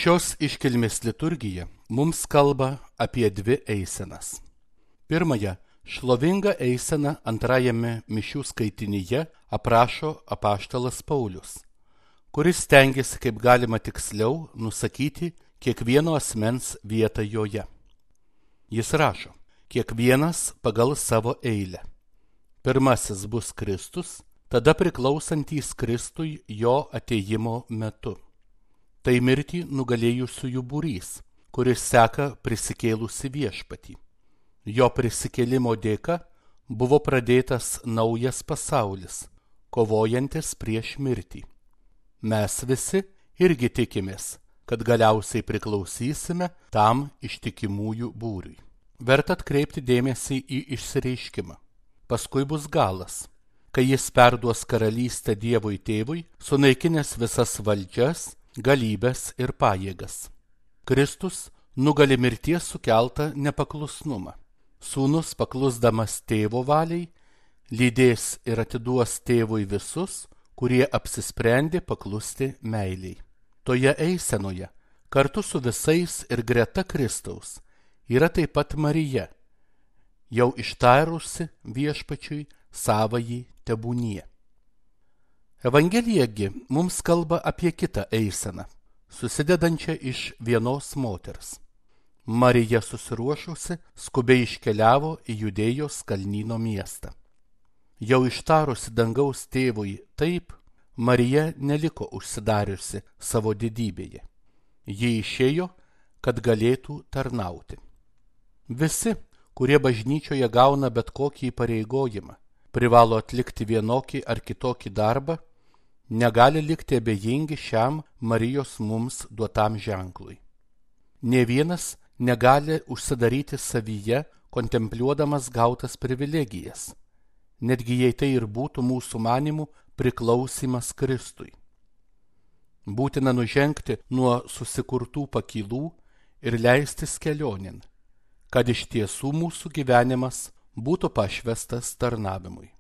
Šios iškilmės liturgija mums kalba apie dvi eisenas. Pirmąją, šlovingą eiseną antrajame mišių skaitinyje aprašo apaštalas Paulius, kuris stengiasi kaip galima tiksliau nusakyti kiekvieno asmens vietą joje. Jis rašo, kiekvienas pagal savo eilę. Pirmasis bus Kristus, tada priklausantys Kristui jo atėjimo metu. Tai mirtį nugalėjusiųjų būrys, kuris seka prisikėlusi viešpatį. Jo prisikėlimo dėka buvo pradėtas naujas pasaulis, kovojantis prieš mirtį. Mes visi irgi tikimės, kad galiausiai priklausysime tam ištikimųjų būriui. Verta atkreipti dėmesį į išsireiškimą. Paskui bus galas, kai jis perduos karalystę Dievui Tėvui, sunaikinęs visas valdžias, galybės ir pajėgas. Kristus nugali mirties sukeltą nepaklusnumą. Sūnus, paklusdamas tėvo valiai, lydės ir atiduos tėvui visus, kurie apsisprendė paklusti meiliai. Toje eisenoje, kartu su visais ir greta Kristaus, yra taip pat Marija, jau ištarusi viešpačiui savąjį tebūnie. Evangelijagi mums kalba apie kitą eiseną, susidedančią iš vienos moters. Marija susiruošusi skubiai iškeliavo į Judėjos kalnyno miestą. Jau ištarusi dangaus tėvui taip, Marija neliko užsidariusi savo didybėje. Ji išėjo, kad galėtų tarnauti. Visi, kurie bažnyčioje gauna bet kokį įpareigojimą, privalo atlikti vienokį ar kitokį darbą, negali likti abejingi šiam Marijos mums duotam ženklui. Nė vienas negali užsidaryti savyje, kontempliuodamas gautas privilegijas, netgi jei tai ir būtų mūsų manimų priklausymas Kristui. Būtina nužengti nuo susikurtų pakylų ir leistis kelionin, kad iš tiesų mūsų gyvenimas būtų pašvestas tarnavimui.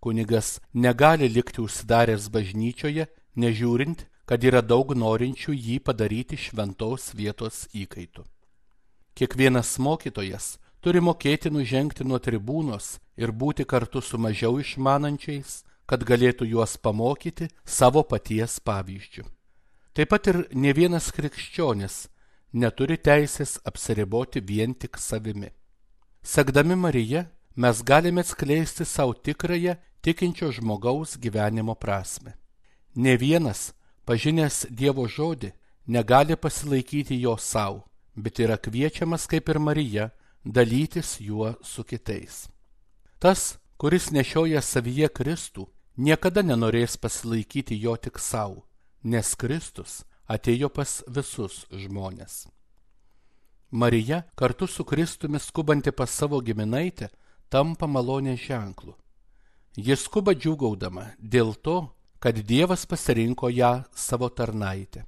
Kunigas negali likti užsidaręs bažnyčioje, nežiūrint, kad yra daug norinčių jį padaryti šventos vietos įkaitu. Kiekvienas mokytojas turi mokėti nužengti nuo tribūnos ir būti kartu su mažiau išmanančiais, kad galėtų juos pamokyti savo paties pavyzdžiu. Taip pat ir ne vienas krikščionis neturi teisės apsiriboti vien tik savimi. Sekdami Marija, mes galime atskleisti savo tikrąją tikinčio žmogaus gyvenimo prasmę. Ne vienas, pažinęs Dievo žodį, negali pasilaikyti jo savo, bet yra kviečiamas kaip ir Marija dalytis juo su kitais. Tas, kuris nešioja savyje Kristų, niekada nenorės pasilaikyti jo tik savo, nes Kristus atėjo pas visus žmones. Marija, kartu su Kristumi skubanti pas savo giminaitę, tampa malonės ženklu. Jis skuba džiūgaudama dėl to, kad Dievas pasirinko ją savo tarnaitę.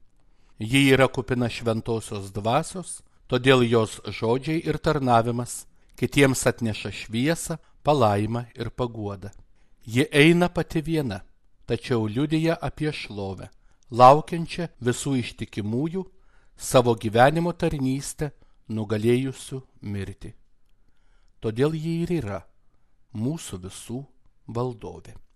Ji yra kupina šventosios dvasios, todėl jos žodžiai ir tarnavimas kitiems atneša šviesą, palaimą ir paguodą. Ji eina pati viena, tačiau liudija apie šlovę, laukiančią visų ištikimųjų, savo gyvenimo tarnystę nugalėjusių mirtį. Todėl ji ir yra mūsų visų valdovė.